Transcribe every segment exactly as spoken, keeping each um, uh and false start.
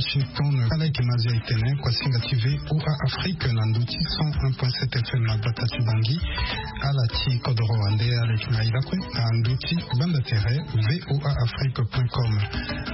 Washington. Ala yeke mazi aye tene kuasinga ti VOA Afrique na ndö ti cent un point sept F M na gbata ti Bangui. Ala ti kodoro wande ala yeke na e lakue na ndö ti banda tere VOA Afrique point com.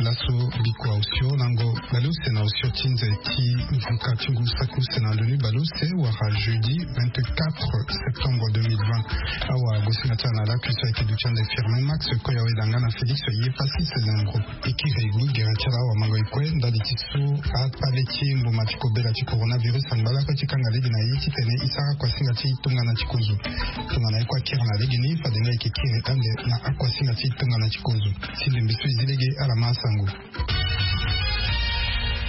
Laso bikua osio lango baleuse na osio ti nze ti nzika ti ngu saki use na ndoni baleuse wala jeudi vingt-quatre septembre deux mille vingt. Awa gosinga ti ala na lakui so ayeke duti ande Firmin Max, koya weda nga na Félix Yepassis Zengro. Ekiri gbu gere ti ala awamango e kue ndali ti so akpale ti mbuma ti kobela ti coronavirus angba lakue ti kanga lege na ye titene e sara kuasinga ti tongana ti kozo. Tongana e kue akiri na lege ni fade nga e yeke kiri ande na akuasinga ti tongana ti kozo. Si ndembe so e zi lege ala ma asango.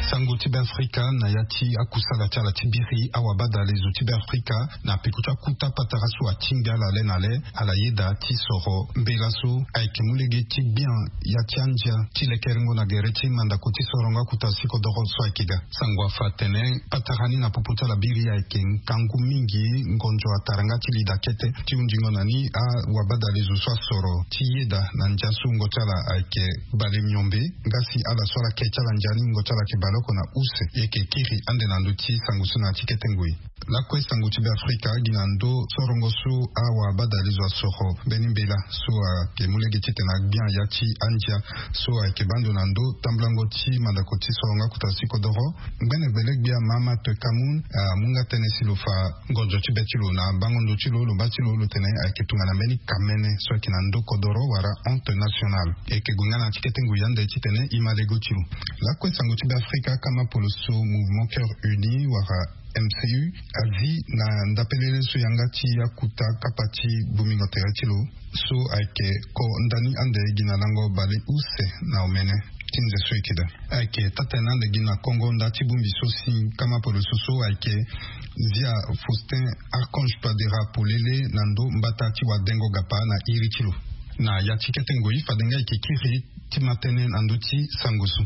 Sango ti Beafrika na ya ti akusala ti ala ti biri awabadalezo ti Beafrika na peko ti akuta patara so atingbi ala le na le. Ala yeda ti soro mbela so ayeke mu lege ti gbia ya ti andia ti lekerengo na gere ti mandako ti sorongo akuta sikodoro so ayeke ga. Sango afa atene patara ni na popo ti ala biri ayeke ngangu mingi. Ngonzo atara nga ti lida kete ti hundingo na ni awabadalezo so asoro ti yeda na ndia so wungo ti ala ayeke bale miombe. Nga si ala so ala ke ti ala ndia ni wungo ti ala ayeke baleoko na use. E yeke kiri ande na ndö ti sango so na ya ti kete ngoi. Lakue sango ti Beafrika gi na ndö sorongo so awabadalezo asoro mbeni mbela so ayeke mu lege titene agbia ya ti andia so ayeke baa ndo na ndö tambulango ti mandako ti sorongo akuta sikodoro. Ngbene gbele-gbia Mahamat Kamoun amu nga tënë si lo fa ngonzo ti be ti lo na bango ndo ti lo lo baa ti lo lo tene ayeke tongana mbeni kamene so ayeke na ndö kodoro wala honte nationale. E yeke gue nga na ya ti kete ngoi ande titene e ma lego ti lo. Lakue sango ti Beafrika kama poloso Mouvement Cœur Uni wala M C U azi na ndapelele so yanga ti akuta kapa ti bongbingo tere ti lo so ayeke ko ndani ande gi na lango bale use na omene ti nze so e yeke daa. Ayeke taa-tene ande gi na kongo nda ti bongbi so si kama poloso so ayeke Zia Faustin Archange Touadéra polele na ndö mbata ti wadengo gapa na iri ti lo. Na ya ti kete ngoi fade nga e yeke kiri ti ma tënë na ndö ti sango so.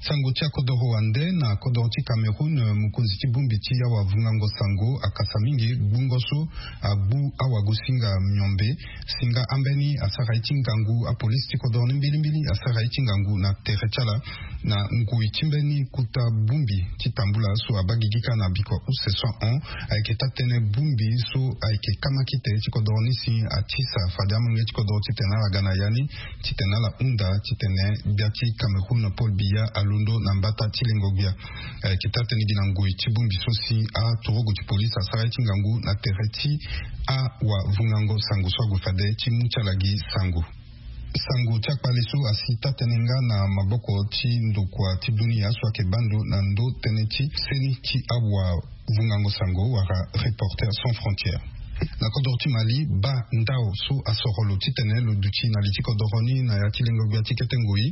Sango ti akodoro wande na kodoro ti Cameroun, mokonzi ti bongbi ti awavungango sango akasa mingi gbungo so agbu awagosinga miombe. Si nga ambeni asara ye ti ngangu apolisi ti kodoro ni mbilimbili asara ye ti ngangu na tere ti ala na ngoi ti mbeni kuta bongbi ti tambula so abaa gigi kâ na bikua use so ahon. Ayeke taa-tënë bongbi so ayeke kamakite ti kodoro ni si atisa fade amolenge ti kodoro titene ala ga na ya ni titene ala hunda titene gbia ti Cameroun Paul Biya alondo na mbata ti lengo-gbia. Ayeke taa-tënë gi na ngoi ti bongbi so si aturugu ti polisi asara ye ti ngangu na tere ti awavungango sango so ague fade ti mu ti ala gi sango. Sango ti akpale so asi taa-tënë nga na maboko ti ndokua ti dunia so ayeke baa ndo na ndö tënë ti seni ti awavungango sango wala Reporters sans frontières. Na kodoro ti Mali, baa ndao so asoro lo titene lo duti na li ti kodoro ni na ya ti lengo-gbia ti kete ngoi.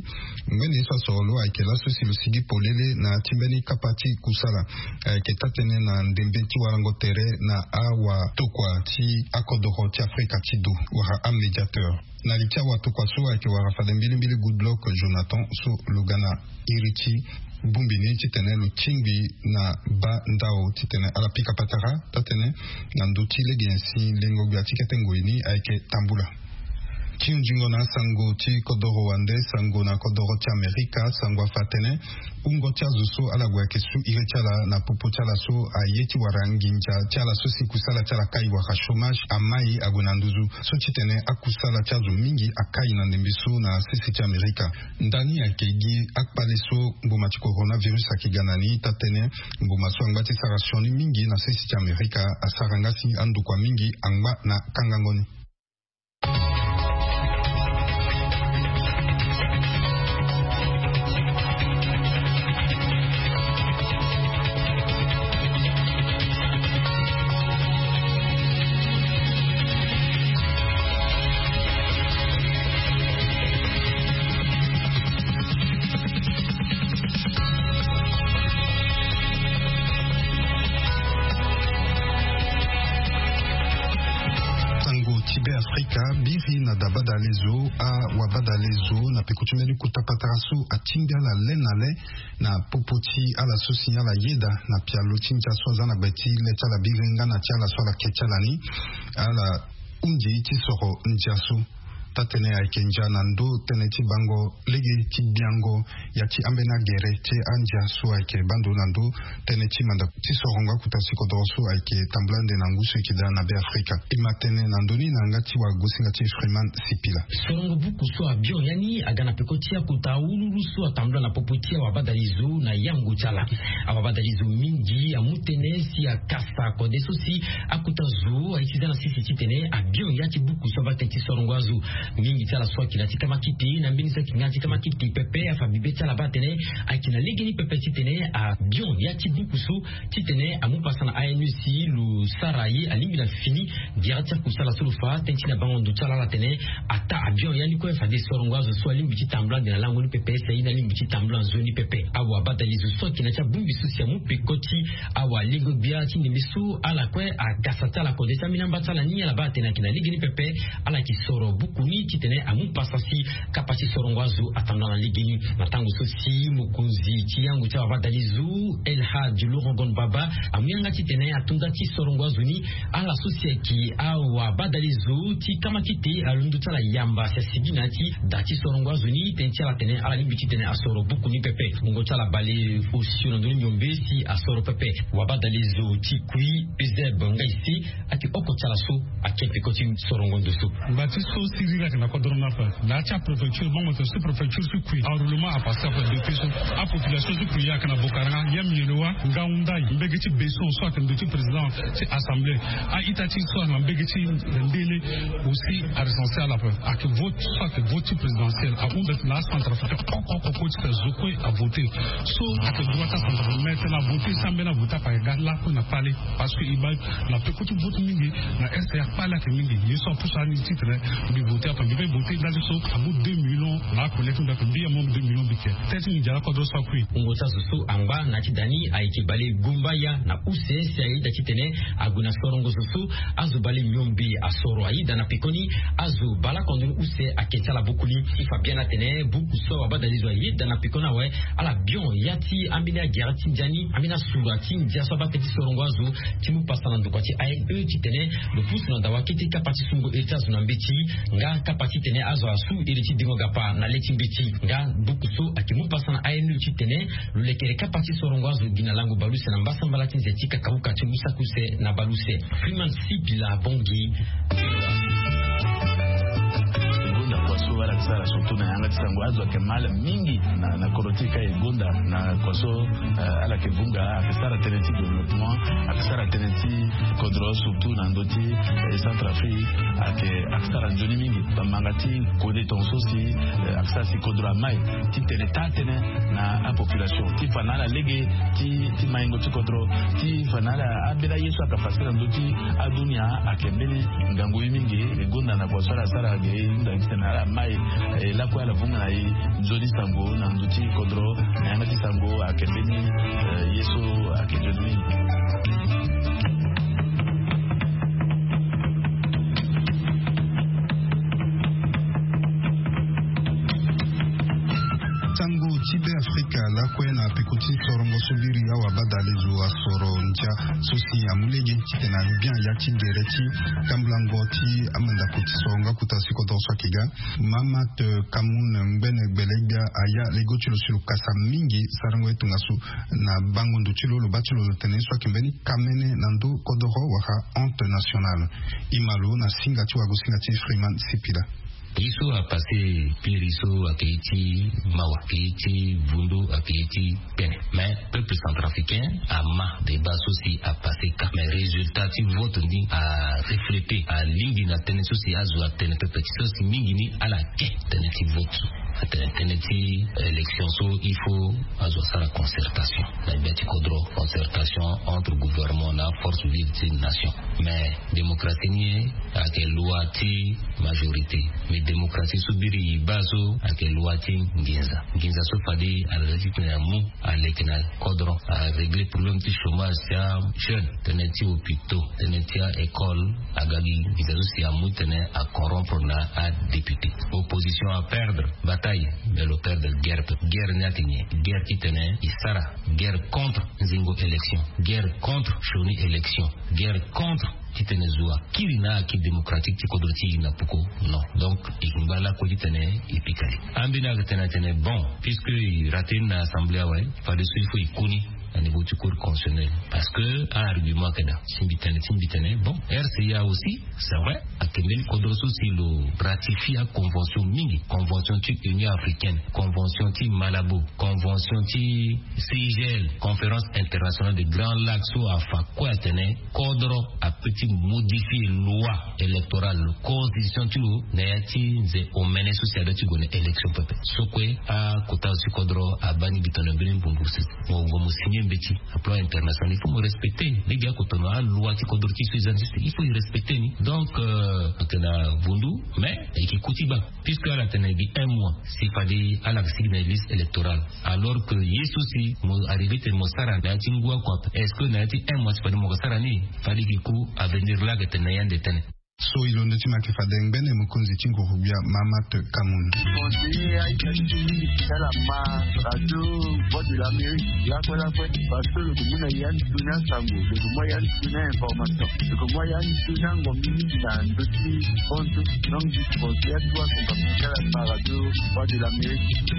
Ngbene ye so asoro lo ayeke laso si lo sigi polele na ya ti mbeni kapa ti kusala. Ayeke taa-tënë na ndembe ti warango tere na awatokua ti akodoro ti Afrika ti do wala amédiateur. Na li ti awatokua so ayeke wara fade mbilimbili Goodluck Jonathan so lo ga na iri ti bongbi ni titene lo tingbi na baa ndao titene ala pika patara taa-tënë na ndö ti lege nyen si lengo-gbia ti kete ngoi ni ayeke tambula. Ti hunzingo na asango ti kodoro wande, sango na kodoro ti Amerika, sango afa atene wungo ti azo so ala gue ayeke su iri ti ala na popo ti ala so aye ti wara nginza ti ala so si kusala ti ala kai wala chômage amai ague na nduzu so titene akusala ti azo mingi akai na ndembe so na sese ti Amerika. Ndani ayeke gi akpale so mbuma ti coronavirus ayeke ga na ni taa-tënë mbuma so angba ti sara sioni mingi na sese ti Amerika asara nga si andokua mingi angba na kangango ni. Sango ti Be Afrika biri na dabadalezo awabadalezo na peko ti mbeni kota patara so atingbi ala le na le na popo ti ala so si ala yeda na pialo ti ndia so aza na gbe ti le ti ala biri nga na ti ala so ala ke ti ala ni. Ala hunzi ti soro ndia so. Taa-tënë ayeke ndia na ndö tënë ti bango lege ti biango ya ti ambeni agere ti andia so ayeke baa ndo na ndö tënë ti mandako ti sorongo akuta ti kodoro so ayeke tambula ande na ngu so eke daa na Be Afrika. E ma tene na ndö ni na yanga ti wagosinga ti Freeman Sipila. Sorongo buku so abion ya ni aga na peko ti akuta awululu so atambula na popo ti awabadalizo na yango ti ala. Awabadalizo mingi amu tënë si akasa kode so si akuta zo aye ti za na sisi titene abion ya ti buku so abaa tënë ti sorongo azo. Mingi ti ala so ayeke na ti kamakiti na mbeni so ayeke nga na ti kamakiti pepe afa bibe ti ala baa atene ayeke na legeni pepe titene abion ya ti buku so titene amu pasa na A N U si lo sara ye alingbi na fini. Gere ti akusala so lo fa tënë ti na bango ndo ti ala ala tene ataa abion ya ni kue fade sorongo azo so alingbi ti tambula ande na lango ni pepe si aye ni alingbi ti tambula nzoni pepe. Awabadalizo so ayeke na ti abongbi so si amu peko ti awalengo-gbia ti ndembe so ala kue agasa ti ala kode ti ambeni amba ti ala ni ala baa atene ayeke na legeni pepe. Ala yeke soro buku ni titene amu pasa si kapa ti sorongo azo atambula na legeni. Na tango so si mokonzi ti yango ti awabadalizo El Hadj Laurent Gon Baba amu yanga titene atonda ti sorongo azo ni. Ala so si ayeke awabadalizo ti kamakite alondo ti ala yamba si asigi na ya ti da ti sorongo azo ni tënë ti ala tene ala lingbi titene asoro buku ni pepe. Wungo ti ala bale osio na ndoni miombe si asoro pepe. Wabadalizo ti kui Eusèbe Ngaise ayeke oko ti ala so ake peko ti sorongo ndo so. Ngba ti so siriri ayeke na kodro ni ape. Na ya ti apréfecture bango tene sous-préfecture ti kui enroulement apase ape depuis so apopulation ti kui ayeke na Bokaranga, Yam Yelowa, Ngaoundai, mbege ti Besson so ayeke ndo ti président ti assemblée. A-ita ti so ayeke na mbege ti Ndele aussi arecense ala ape. Ayeke vote so ayeke vote ti présidentielle ahunda titene acentrafricain oko oko kue ti tene zo kue avote. So ayeke droit ti acentrafricain mais tene avote si ambeni avote ape ayeke ga lakue na kpale. Parce que e baa na peko ti vote mingi na est ya kpale ayeke mingi. Ye so apusu ani titene mbi vote ape mbi pe vote ndali so amu deux millions na akolekte mbi ape mbi amu deux millions mbi ke. Tënë ti mbi ndia lakodro so akui. Wungo ti azo so angba na ya ti da ni ayeke bale gumbaya na use si ayeda titene ague na sorongo zo so azo bale miombe asoro ayeda na pekoni. Azo baleoko ndoni use ayeke ti ala buku ni. E fa biani atene buku so awabadalizo ayeda na pekoni awe ala bion ya ti ambeni agere ti ndia ni ambeni asura ti ndia so abaa tënë ti sorongo azo ti mu pasa na ndokua ti A N E titene lo pusu na dawa kete kapa ti sungo ere ti azo na mbeti nga kapa titene azo asu ere ti dengo gapa na le ti mbeti. Nga buku so ayeke mu pasa na A N E titene lo lekere kapa ti sorongo azo gi na lango baleuse na mbasambala ti nze ti kakauka ti ngu saki use na baleuse. Freeman Sipila Bongi. Gonda kua so ala sara surtout na yanga ti sango azo ayeke mal mingi na na kodro ti e ka e gonda na kua so. Eh, ala yeke vunga ayeke sara tënë ti développement ayeke sara tënë ti kodro surtout na ndö ti eh, Centrafrique ayeke ayeke sara nzoni mingi. Bamanga ti kode tongaso si eh, ayeke sara si kodro amai ti tene taa tënë na apopulation ti fa na ala lege ti ti maingo ti kodro ti fa na ala ambeni aye so ayeke afasiri na ndö ti adunia ayeke mbeni ngangu ye mingi. E gonda na kua so ala sara ge e hunda gi titene ala mai e lakue ala vunga na e nzoni sango na ndö ti kodro na yanga ti sango ayeke mbeni eh, ye so ayeke nzoni mingi. Sango ti Be Afrika lakue na peko ti sorongo so biri awabadalezo asoro ndia so si amu lege titene abian ya ti gere ti tambulango ti amandako ti sorongo akuta si kodoro so ayeke ga. Mamat Kamoun ngbene gbele-gbia aya lego ti lo si lo kasa mingi sarango ye tongaso na bango ndo ti lo lo baa ti lo lo tene ye so ayeke mbeni kamene na ndö kodoro wala honte nationale. E ma lo na singa ti wagosinga ti Freeman Sipila. Ye so apase piri so ayeke ye ti mawa ayeke ye ti vundu ayeke ye ti pene. Mais peuple centrafricain ama débat so si apase ka mais résultat ti vote ni arefléter alingbi na tënë so si azo atene pepe ti so si mingi ni ala ke tënë ti vote. Atene tënë ti élection so il faut azo asara concertation na gbia ti kodro concertation entre gouvernement na force vive ti nation. Mais démocratie ni ayeke loi ti majorité. Mais démocratie so biri e baa so ayeke loi ti nginza. Nginza so fade ala za ti tene amu aleke na kodro arégler problème ti chômage ti ajeune tënë ti hôpitaux tënë ti aécole. Aga gi nginza so si amu tene acorompre na adéputé. Opposition aperdre bataille mais lo perdre guerre. Guerre ni ayeke nyen? Guerre ti tene e sara guerre contre nzingo élection, guerre contre sioni élection, guerre contre Titene zo akiri na aki démocratique ti kodro ti e na poko. Non, donc e ngba lakue titene e pika li. Ambeni ayeke tene atene bon, puisque e rate ni na assemblée awe, fadeso il faut e koni na niveau ti cour constitutionnel. Parce que a argument ayeke daa ti mbi tene ti mbi tene bon, rca aussi, c'est vrai, ayeke mbeni kodro so si lo ratifie aconvention mingi, convention ti Union africaine, convention ti Malabo, convention ti CIGL, conférence internationale de Grand Lac, so afa kue atene kodro ape ti modifier loi électorale, constitution ti lo, na ya ti nze omene so si ada ti gue na élection pepe. So kue akota ti kodro abaa ni bito na mbeni mbumbu si mo gue mo signer mbeti na plan international, il faut mo respecter. Lege akotono aloi ti kodro ti so e za ni, il faut e respecter ni. Donc euh, ayeke na vundu, mais e yeke ku ti baa, puisque ala tene gi un mois si fade ala yeke sigi na liste électorale, alors que ye so si mo arrivé tene mo sara na ya ti ngu oko ape, est-ce que na ya ti un mois si fade mo yeke sara ni? Fade e yeke ku avenir laa ayeke tene na ya nde tënë. So e londo ti ma ayeke fade ngbene mokonzi ti nguru-gbia Mahamat Kamoun. Conseiller aita ti mingi ti ala ma radio Voix de l'Amérique lakue lakue, parce que lo ke mu na ya ni tuni asango, lo ke mu ya ni tuni information, lo ke mu ya ni tuni ango mingi na ndö ti compte. Donc je conseille à toi, son capital à la radio Voix de l'Amérique.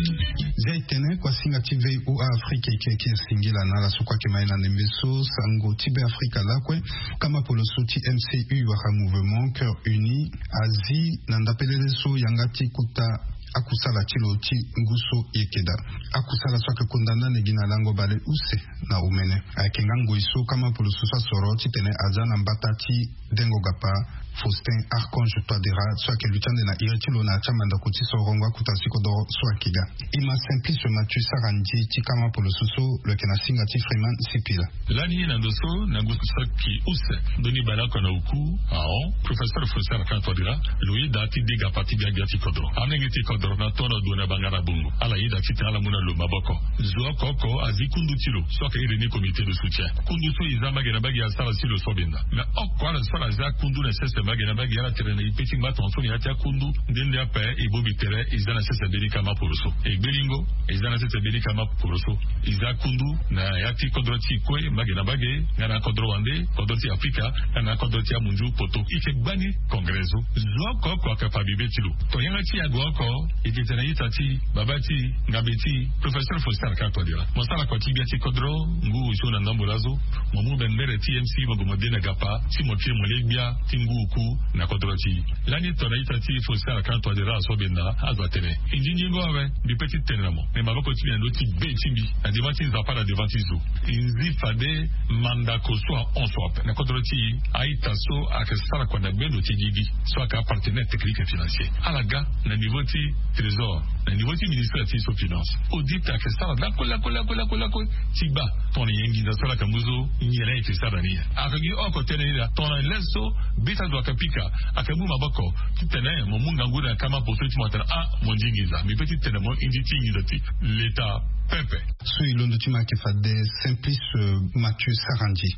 Zia e tene kua singa ti VOA Afrique e yeke singila na ala so kue ayeke ma e na ndembe so sango ti Be Afrika lakue. Kama poloso ti MCU wala Mouvement Cœur Uni azi na ndapelele so yanga ti kota akusala ti lo ti ngu so e yeke daa. Akusala so ayeke kunda ndani gi na lango bale use na omene. Ayeke nga ngoi so kama poloso so asoro titene aza na mbata ti dengo gapa Faustin Archange Touadéra so ayeke luti ande na iri ti lo na ya ti amandako ti sorongo akota ti kodoro so ayeke ga. E ma Simplice Mathieu Sarandji ti kama poloso so lo yeke na singa ti Freeman Sipila. Lani na ndo so na ngu so saki use ndoni bale oko na oku, ahon, professeur Faustin Archange Touadéra lo yeda ti dega parti gbia gbia ti kodro. Amenge ti kodro na tono dua na banga na bongo ala yeda titene ala mu na lo maboko. Zo oko oko azi kundu ti lo so ayeke iri ni comité de soutien. Kundu so e za mbage na mbage asara si lo so benda. Mais oko ala so ala za kundu na sese mbage na mbage ala tere na e pe ti ngba tongaso na ya ti akundu. Nde nde ape e bongbi tere e za na sese mbeni kama poroso. E gbelingo e za na sese mbeni kama poroso. E za kundu na ya ti kodro ti e kue mbage na mbage, nga na kodro wande, kodro ti Afrika, nga na kodro ti amunzu poto. E yeke gbani congrès so. Zo oko oko ayeke fa bibe ti lo. Tongana yanga ti e ague oko, e yeke tene na ita ti e, babâ ti e, ngambe ti e, professeur Faustin Archange Touadéra, mo sara kua ti gbia ti kodro ngu osio na ndambo laso. Mo mu bembere ti MC mo gue mo de na gapa ti mo kiri mo le gbia ti ngu oku na kodro ti e. Lani tongana ita ti e Faustin Archange Touadéra aso benda azo atene e nzinzingo awe. Mbi pe ti tene na mo, me maboko ti mbi na ndö ti be ti mbi na devant ti Nzapa na devant ti zo. E zi fade mandako so ahon so ape na kodro ti e. A-ita so ayeke sara kua na gbendo ti gigi so ayeke apartenaire technique et financier, ala ga na niveau ti trésor, na niveau ti ministère ti so finance. Audit ayeke sara lakue lakue lakue lakue lakue ti baa tongana nyen nginza so ala yeke mu so nyen ayeke sara na ni. Ayeke gi oko tënë ni laa, tongana le so be ti azo ayeke pika, ayeke mu maboko titene mo mu ngangu na kama poroso ti mo atene ah mo ndi nginza. Mbi pe ti tene mo e ndi ti nginza ti leta pepe. So e londo ti ma ayeke fade Simplice Mathieu Sarandji.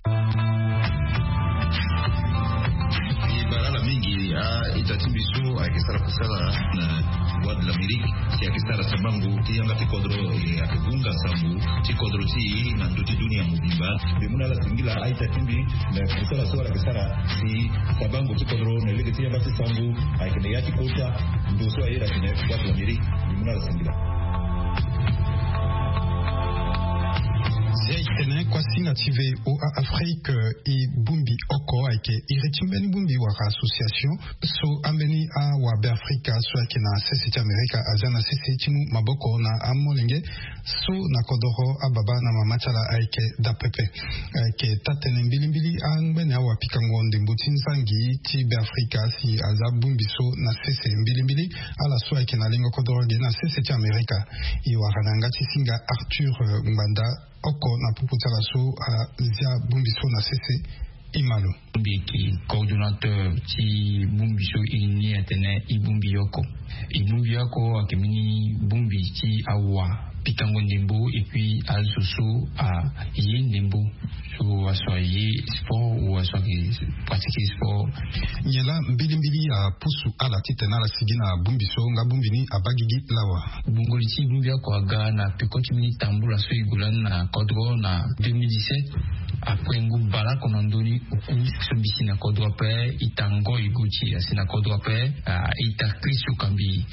E bara ala mingi a-ita ti mbi so ayeke sara kusala na Voix de l'Amérique, si ayeke sara sabango ti yanga ti kodro, e ayeke hunga sango ti kodro ti e na ndö ti dunia mobimba. Mbi mu na ala singila a-ita ti mbi na kusala so ala yeke sara si sabango ti kodro na lege ti yanga ti sango ayeke na ya ti kota ndo so aye na tene Voix de l'Amérique. Mbi mu na ala singila. Zia e tene kuasinga ti VOA Afrique, e bongbi oko ayeke iri ti mbeni bongbi wala association so ambeni awabeafrika so ayeke na sese ti Amerika azia na sese ti mu maboko na amolenge so na kodoro ababa na mama ti ala ayeke daa pepe. Ayeke taa-tënë mbilimbili angbene awapikango ndembo ti nzangi ti Beafrika si aza bongbi so na sese mbilimbili. Ala so ayeke na lengo kodoro ge na sese ti Amerika. E wara na yanga ti singa Arthur, eh, Ngbanda oko na popo ti ala so azia bongbi so na sese. E ma lo. Mbi yeke coordonnateur ti bongbi so e ni atene e bongbi oko. E bongbi oko ayeke mbeni bongbi ti awa pikango ndembo et puis azo so aye ndembo, so aso aye sport ou aso ake pratiquer sport. Nyen laa mbilimbili apusu ala titene ala sigi na bongbi so nga bongbi ni abaa gigi lawa? Bongoli ti bongbi oko aga na peko ti mbeni tambula so e gue lani na kodro na deux mille dix-sept. Après ngu baleoko na ndoni oku so mbi si na kodro ape, ita Ngoy Gauthier asi na kodro ape, ita Chris Okambi,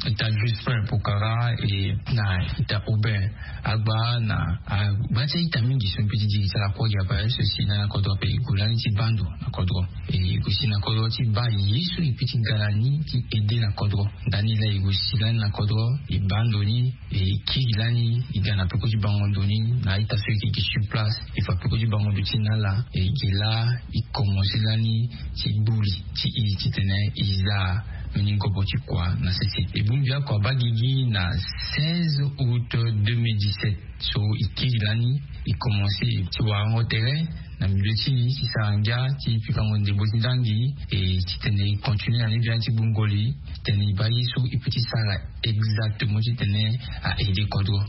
ita Jospin Pokara et na ita Aubin Agba na agba ti a-ita mingi so mbi ti diri ti ala kue gi ape so si lani na kodro ape. E gue lani ti baa ndo na kodro, e gue si na kodro ti baa ye so e peut ti ga na ni ti aider na kodro. Ndani laa e gue si lani na kodro, e baa ndo ni, e kiri lani, e ga na peko ti bango ndo ni na a-ita so e yeke gi sur place. E fa peko ti bango ndo ti na ala, e yeke laa e commencer lani ti gbu li ti e titene e za mbeni ngobo ti kua na sese. E bongbi oko abaa gigi na seize août deux mille dix-sept. So e kiri lani, e commencer ti warango tere na milieu ti e ti sara ngia ti pikango ndembo ti nzangi, e titene e continuer na ni bien ti bongoli titene e baa ye so e peut ti sara exactement titene a aider kodro.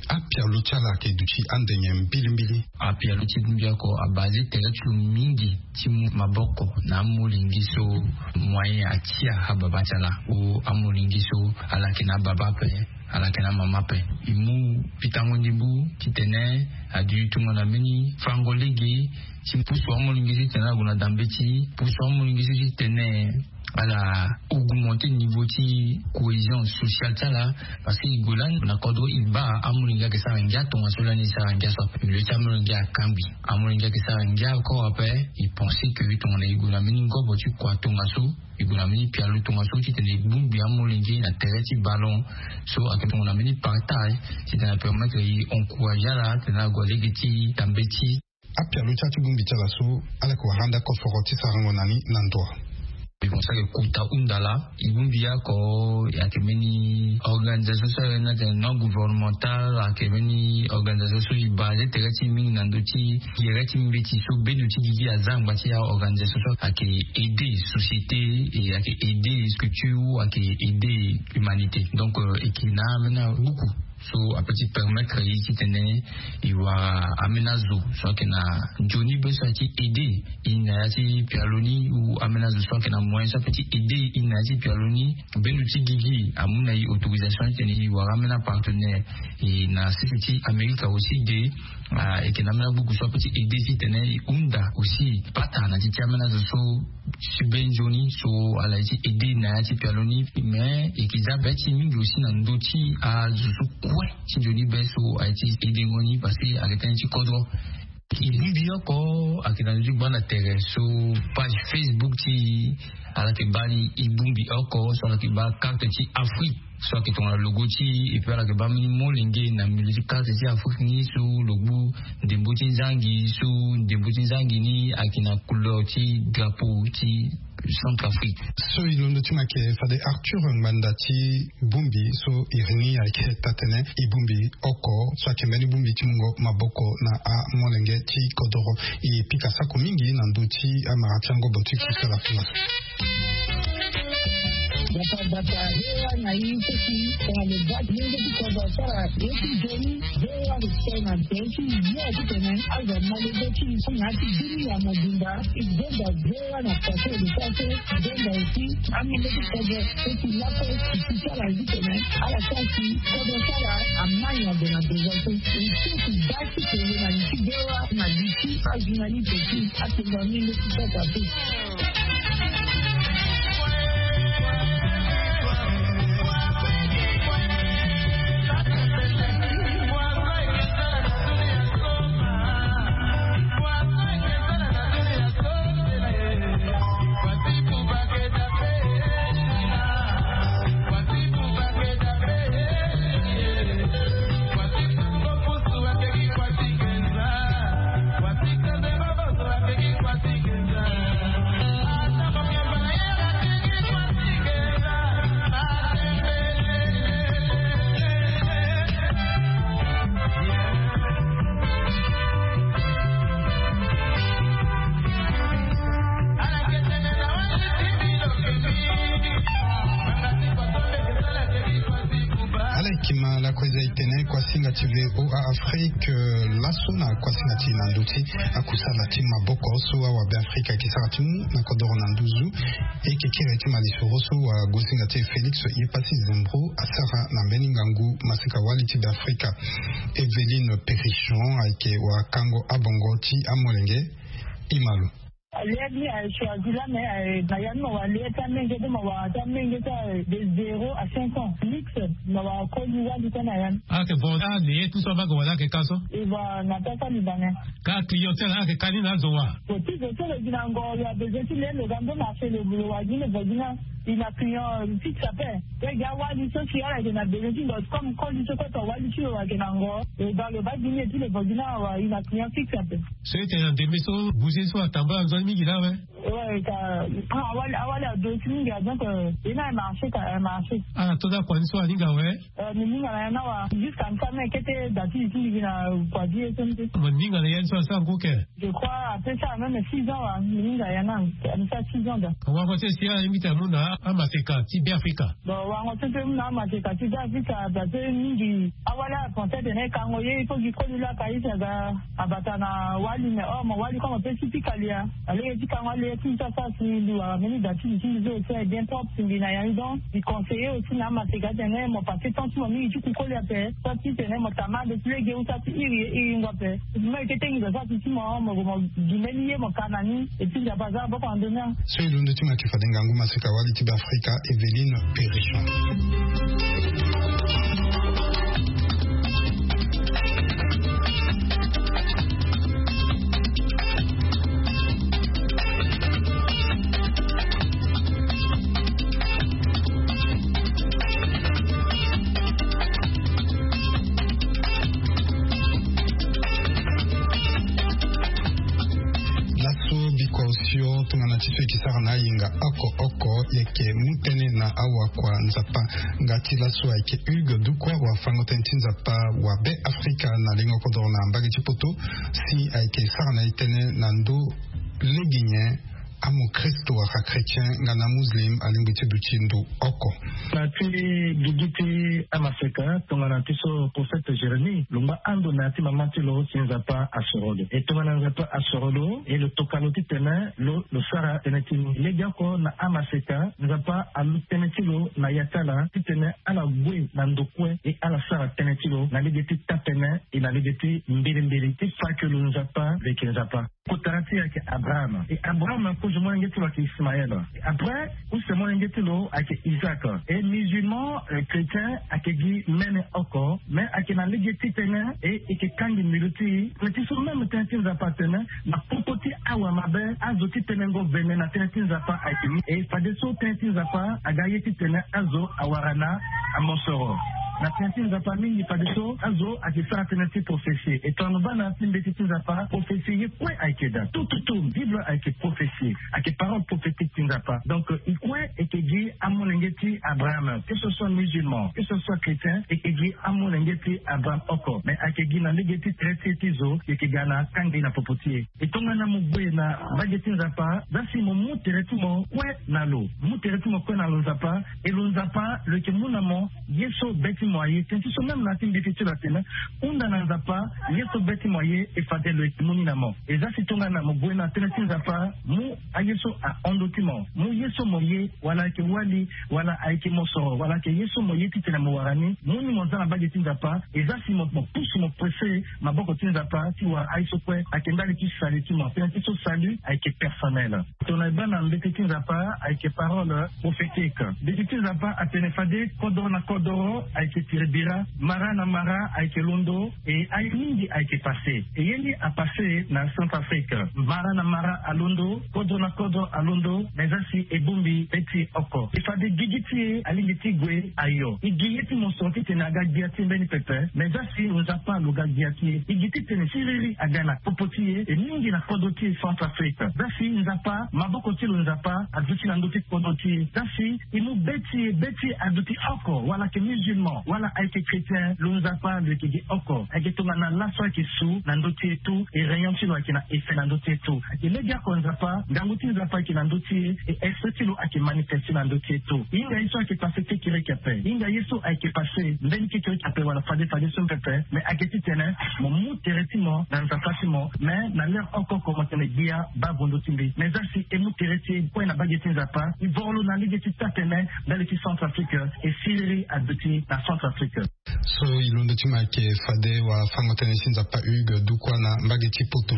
Apialo ti ala ayeke duti ande nyen mbilimbili? Apialo ti bongbi oko abase tere ti lo mingi ti mu maboko na amolenge so moyen atia ababa ti ala, ou amolenge so ala yeke na ababa ape, ala yeke na amama ape. E mu pikango ndembo titene a duti tongana mbeni fango lege ti pusu amolenge so titene ala gue na dambeti, pusu amolenge so titene ala augmenter niveau ti cohésion sociale ti ala. Parce que e gue lani na kodro e baa amolenge ayeke sara ngia tongaso lani e sara ngia so ape. Milieu ti amolenge akangbi. Amolenge ayeke sara ngia encore ape. E penser que tongana e gue na mbeni ngobo ti kua tongaso, e gue na mbeni pialo tongaso titene e bongbi amolenge na tere ti ballon so ayeke tongana mbeni partage titene apermettre e encourager ala titene ague na lege ti dambeti. Apialo ti ala ti bongbi ti ala so, ala yeke wara ande akosoro ti sarango na ni na ndo? E bongbi so ayeke kota hunda laa. E bongbi oko ayeke mbeni organisation so ayeke na tene non gouvernemental, ayeke mbeni organisation so e base tere ti e mingi na ndö ti gere ti mbeti so bendo ti gigi aza angba ti aorganisation so ayeke aider société, e ayeke aider structure, ayeke aider humanité. Donc e yeke na ambeni abuku so apeut ti permettre e titene e wara ambeni azo so ayeke na nzoni be so aye ti aider e na ya ti pialo ni, ou ambeni azo so ayeke na moyen so apeut ti aider e na ya ti pialo ni. Bendo ti gigi amu na e autorisation titene e wara ambeni apartenaire. E na sese ti Amerika aussi de, e yeke na ambeni abuku so apeut ti aider titene e hunda aussi pata na ti ti ambeni azo so ti be nzoni so ala ye ti aider na ya ti pialo ni. Mais e yeke za be ti e mingi aussi na ndö ti azo so kue ti nzoni be so aye ti aidengo ni, parce que ayeke tënë ti kodro. E bongbi oko ayeke na ndö ti gbanda tere so page Facebook ti e ala yeke baa ni. E bongbi oko so ala yeke baa carte ti Afrique so ayeke tongana logo ti e, et puis ala yeke baa mbeni molenge na milieu ti carte ti Afrique ni so lo gbu ndembo ti nzangi, so ndembo ti nzangi ni ayeke na couleur ti drapeau ti Centrafrique. So e londo ti mo ayeke fade Arthur Ngbanda ti bongbi so iri ni ayeke taa-tënë. E bongbi oko so ayeke mbeni bongbi ti mungo maboko na amolenge ti kodoro. E pika sako mingi na ndö ti amara ti angobo ti kusala kula. Bata bata, hewa na ye seki tongana lo baa ti lenge ti kodro asara ye ti nzoni. Hewa lo tene na tere ti yo titene azo amolenge ti na ya ti bini ya mobimba. E benda hewa na tere ti kodro so. Benda aussi amolenge ti kodro so ti lape ti ti sara ye titene ala sara ti kodro sara amai na gue na besoin so. E so ti baa ti kele na li ti hewa na li ti ajournaliste ti atonga amolenge ti kodro ape. Leki ma lako eza etene kuasinga ti V O A Afrique, laso na kuasinga ti na ndö ti akusala ti maboko so awa Be Afrika eke sara ti mu na kodoro na nduzu. Eke kiri ti malisoro so wa gosinga ti Félix Yepasi Zembro asara na mbeni ngangu masika wali ti Be Afrika. Evelyne Perrichon ayeke wa kango abongo ti amolenge. Imalo. Alia ni a choisi la mais na ya ni ma wa lia ti amenge de ma wa ti amenge ti de zéro à cinq ans mix. Ma wa koli wali ti na ya ni. Ake bon a lie ti so abaka wala ake ka so. E wa na ta sali bane. Ka clientèle ake ka ni na azo wa. Bon ti zo ti lo gi na ngo ya besoin ti lie lo ga ndo marché lo bulo wa gi le vo gi na. I na client fixe ape. Pe gi awali so si ala yeke na besoin ti lo comme koli so kota wali ti lo wa yeke na ngo. E ba lo ba gi ni e ti le vo gi na wa i na client fixe ape. So ete na ndembe so bouger so atambula nzoni mingi na awe. Ouais ka. Awali awali ado ti mingi a donc. E na e marché ka e marché. Ala to da kua ni so aninga awe. Mi ninga na ya na wa jusqu'à nsa me kete da ti li ti li gi na kua ti ye so ni te. Mo ninga na ya ni so asara ngu ke. Je crois ape sara même six ans wa mi ninga ya na mi sara six ans da. Wango ti e si ala yingi ti amu na amaseka ti Be Afrika. Bon wango ti e pe mu na amaseka ti Be Afrika parce que mingi awali ala pense atene e kango ye il faut gi koli laka ye si aga. Abata na wali mais or mo wali comme ape si pika lia. Alege ti kango alege ti mi so asara si mbi wara mbeni da ti li ti mbi so aussi est bien propre si mbi na ya ni donc mbi conseiller aussi na amaseka atene mo passe temps ti mo mingi ti kukoli ape. So ti tene mo tama ande ti lege ou sa ti iri ye iri ngua ape. Mo yeke tengi zo sa ti ti mo mo mo gi mbeni ye mo ka na ni. Et puis nzapa aza aboko na ndoni. So e londo ti mo ayeke fade ngangu maseka wali ti Be Afrika Evelyne Perrichon. Laso biko osio tongana ti so e ke sara na ayenga oko oko e yeke mu tënë na awakua nzapa. Nga ti laso ayeke Hugues Dukwa wa fango tënë ti nzapa wa Be Afrika na lengo kodoro na mbage ti poto. Si ayeke sara na e tënë na ndö lege nyen amokristo wala chrétien nga na muslim alingbi ti duti ndo oko. Na ti gigi ti amaseka tongana ti so prophète Jérémie lo ngba ando na ya ti mama ti lo si nzapa asoro lo e tongana nzapa asoro lo e lo toka lo titene lo lo sara tënë ti ni lege oko na amaseka nzapa alu tënë ti lo na ya ti ala titene ala gue na ndo kue e ala sara tënë ti lo na lege ti taa-tënë e na lege ti mbilimbili ti fa ke lo nzapa lo yeke nzapa. Kotara ti e ayeke Abraham e Abraham kozo molenge ti lo ayeke Ismaël. Après use molenge ti lo ayeke Isaac. E musulman chrétien ayeke gi mene oko mais ayeke na lege ti tënë e e yeke kangi mbilu ti e. Tënë ti so même tënë ti nzapa atene na popo ti awa mabe azo ti tenengo vene na tënë ti nzapa ayeke ni e fadeso tënë ti nzapa aga ye titene azo awara na amosoro. Na tënë ti nzapa mingi fadeso azo ayeke sara tënë ti prophesie e tongana mo baa na ya ti mbeti ti nzapa prophesie ye kue ayeke daa tout tout tout bible ayeke prophesie. Ayeke parole prophétique ti nzapa donc e kue e yeke gi amolenge ti Abraham que ce soit musulman que ce soit chrétien e yeke gi amolenge ti Abraham oko mais ayeke gi na lege ti tere ti e ti zo e yeke ga na kangbi na popo ti e. E tongana mo gue na mbage ti nzapa za si mo mu tere ti mo kue na lo mu tere ti mo kue na lo nzapa e lo nzapa lo yeke mu na mo ye so be ti mo aye tënë ti so même na ya ti mbeti ti lo atene hunda na nzapa ye so be ti mo aye e fade lo yeke mu ni na mo. E za si tongana mo gue na tënë ti nzapa mu aye so ahon ndö ti mo mu ye so mo ye wala ayeke wali wala ayeke mosoro wala ayeke ye so mo ye titene mo wara ni mu ni mo za na mbage ti nzapa. E za si mo mo pusu mo presse maboko ti nzapa ti wara aye so kue ayeke ndali ti salut ti mo tënë ti so salut ayeke personnel. Tongana e baa na mbeti ti nzapa ayeke parole prophétique. Mbeti ti nzapa atene fade kodoro na kodoro ayeke tiri bira mara na mara ayeke londo. E aye mingi ayeke passe e ye ni apasse na Centrafrique. Mara na mara alondo kodro na kodro alondo. Mais za si e bongbi be ti e oko e fade gigi ti e alingbi ti gue ayo e gi ye ti mosoro titene aga gbia ti e mbeni pepe. Mais za si nzapa lo ga gbia ti e e gi titene siriri aga na popo ti e e mingi na kodro ti e Centrafrique. Za si nzapa maboko ti lo nzapa aduti na ndö ti kodro ti e za si e mu be ti e be ti e aduti oko wala ayeke musulman. Wala ayeke chrétien, lo Nzapa lo yeke gi oko. Ayeke tongana laso ayeke su na ndö ti e tout, e réunion ti lo ayeke na effet na ndö ti e tout. Ayeke lege oko Nzapa, ngangu ti Nzapa ayeke na ndö ti e, e esprit ti lo ayeke manifesté na ndö ti e tout. Hinga ye so ayeke passé kekereke ape, hinga ye so ayeke passé mbeni kekereke ape wala fade fade so pepe, mais ayeke titene mo mu tere ti mo na Nzapa ti mo, mais na l'heure oko oko mo tene gbia baa vo ndö ti mbi. Mais za si e mu tere ti e kue na mbage ti Nzapa, e voro lo na lege ti taa-tene ndali ti Centrafrique, e siriri aduti na Centrafrique. So e londo ti mo ayeke fade wafango-tënë ti Nzapa Hugues Dukwa na mbage ti Poto.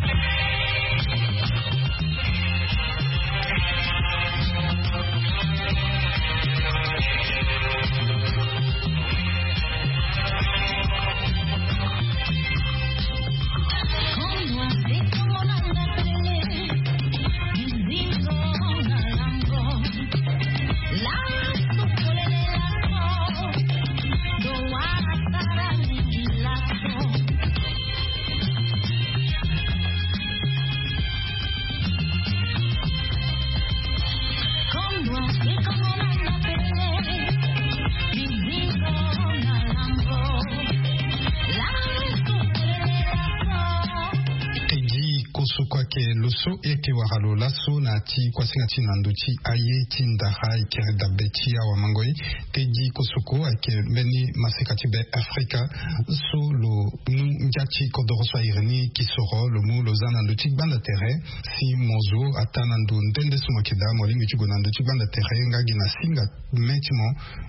Teddy Kosoko ayeke lo so e yeke wara lo laso na ya ti kuasinga ti na ndö ti aye ti ndara e kiri dabe ti awamango ye. Teddy Kosoko ayeke mbeni maseka ti Be Afrika so lo mu ngia ti kodoro so a iri ni kisoro, lo mu lo za na ndö ti gbanda tere si mo zo ataa na ndo nde nde so mo yeke daa, mo lingbi ti gue na ndö ti gbanda tere nga gi na singa me ti mo,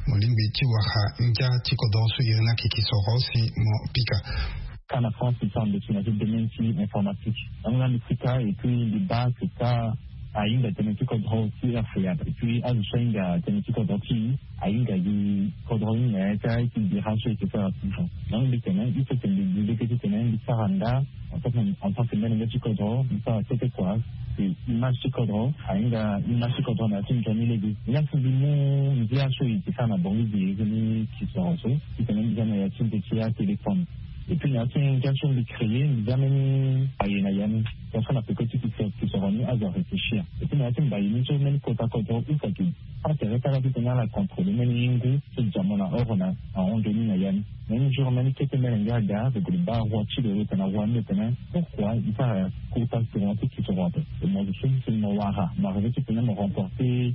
mo lingbi ti wara ngia ti kodoro so iri ni ayeke kisoro si mo pika. Ka na France ti sara ndo ti na ti domaine ti informatique. Yango nga mbi pika et puis mbi baa que ka ahinga tënë ti kodro ti R F A. Et puis azo so ahinga tënë ti kodro ti e ahinga gi kodro ni na ya ti aye ti bira so e yeke sara ti fo. Donc mbi tene il faut que mbi zi lege titene mbi sara nda en tant que, en tant que mbeni ngia ti kodro, mbi sara kete kua. Image ti kodro ahinga image ti kodro na ya ti nzoni lege. Nga si mbi mu ngia so e yeke sara na Bangui gi iri ni kisoro so, titene mbi za na ya ti nze ti atéléphone. Et puis na ya ti ngia so mbi créé, mbi za mbeni mbaye na ya ni. Ton so na peko ti kisoro, kisoro ni azo aréfléchir. Et puis na ya ti mbaye ni so mbeni kota kodro use ayeke pâ tere kâ titene ala contrôler mbeni ngu so dia mo na oro na ahon nzoni na ya ni. Même jour mbeni kete mbeni ngia aga lo gue lo baa roi ti lo, lo tene na roi ni, lo tene pourquoi e sara kota tournoi ti kisoro ape? E mo zo so si mo wara mo arrivé titene mo remporter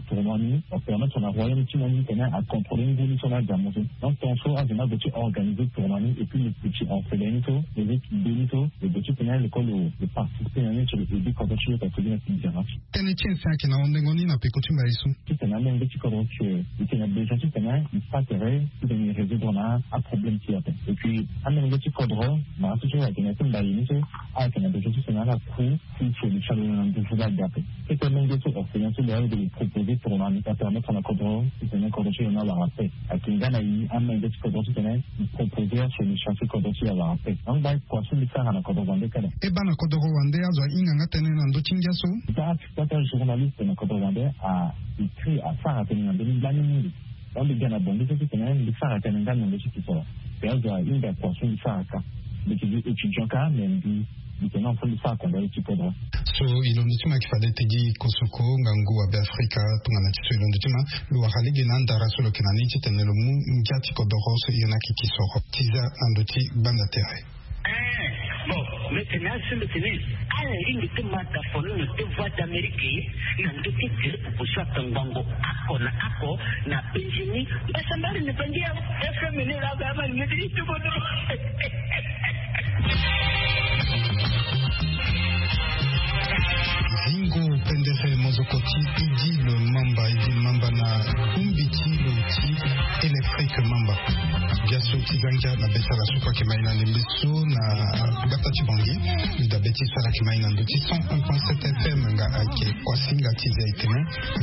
tournoi ni, mo permettre na royaume ti mo ni titene acontrôler ngu ni so na adia mo so. Donc ton so azo ni ague ti organiser tournoi ni et puis lo petit orphelin ni so, lo zo ti be ni so, lo gue titene lo kue lo participer na ni ti lo aider kodro ti lo ta so gi na ti dia na ti. Tënë ti e si ayeke na hondengo ni na peko ti mbaye so. Titene amenge ti kodro ti e, e tene na besoin titene e pâ tere titene e résoudre na aproblème ti e ape. Et puis amenge ti kodro na aso so ayeke na ya ti mbaye ni so, ayeke na besoin titene ala ku ti solution na nduzu la ga ape. Kete amenge so orphelin so lo ya lo proposer tournoi ni, apermettre na kodro titene kodro ti lo ni awara paix. Ayeke nga na e amenge ti kodro titene e proposer asolution ti kodro ti e awara paix. Donc mbi kua so mbi sara na kodro wande kala. E baa na kodro wande azo ahinga nga tënë na ndö ti ngia so. Daa ti kota journaliste na kodro wande a écrit, asara tënë na ndö ni lani mingi. Donc mbi ga na Bangui so titene mbi sara tënë nga na ndö ti kisoro. Mbi azo ahinga kua so mbi sara ka. Mbi yeke gi étudiant kâ, mais mbi, mbi tene na fo mbi sara kondani ti kodro. So e londo ti mo ayeke fade Teddy Kosoko, ngangu wa Be Afrika, tongana ti so e londo ti mo. Lo wara lege na andara so lo yeke na ni titene lo mu ngia ti kodoro so iri ni ayeke kisoro ti za na ndö ti gbanda tere. Eh, bon, mbi tene asi mbi tene ala lingbi ti ma dafono na deux voix d'Amérique na ndö ti groupe so akangbango oko na oko na Benjini. Mbasambari na bangi ya F M ni la ba ma ni ti tubono. Zingo pendere mozoko ti Idil Mamba, Idil Mamba na kumbi ti lo ti Électrique Mamba. Bia so ti za ngia na be ti ala so kue ayeke mai na ndembe so na gbata ti Bangui. Mbi dabe ti so ala yeke mai na ndö ti cent un point sept F M nga ayeke kuasinga ti zia etene.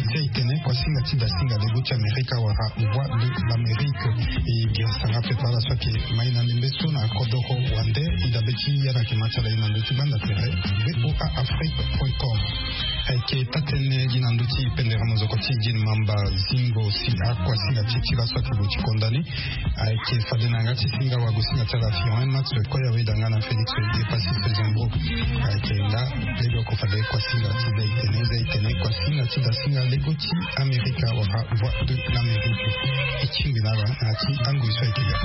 Zia etene, kuasinga ti dasinga lego ti Amerika wala Voix de l'Amérique. E bia sanga pepe ala so ayeke mai na ndembe so na kodoro wande. E dabe ti ya na yeke ma ti ala ye na ndö ti gbanda tere V O A Afrique point com. Ayeke taa-tënë gi na ndö ti pendere mozoko ti Idil Mamba. Zingo si akuasinga ti e ti laso ayeke gue ti konda ni. Ayeke fade na yanga ti singa wago singa ti ala firon match koya weda nga na Félix Olivier Passis Zembro. Ayeke nga lege oko fade kua singa ti za itene za itene kua singa ti da singa lego ti Amerika wala Voix de l'Amérique. E tingbi na ala na ya ti angoi so ayeke ga.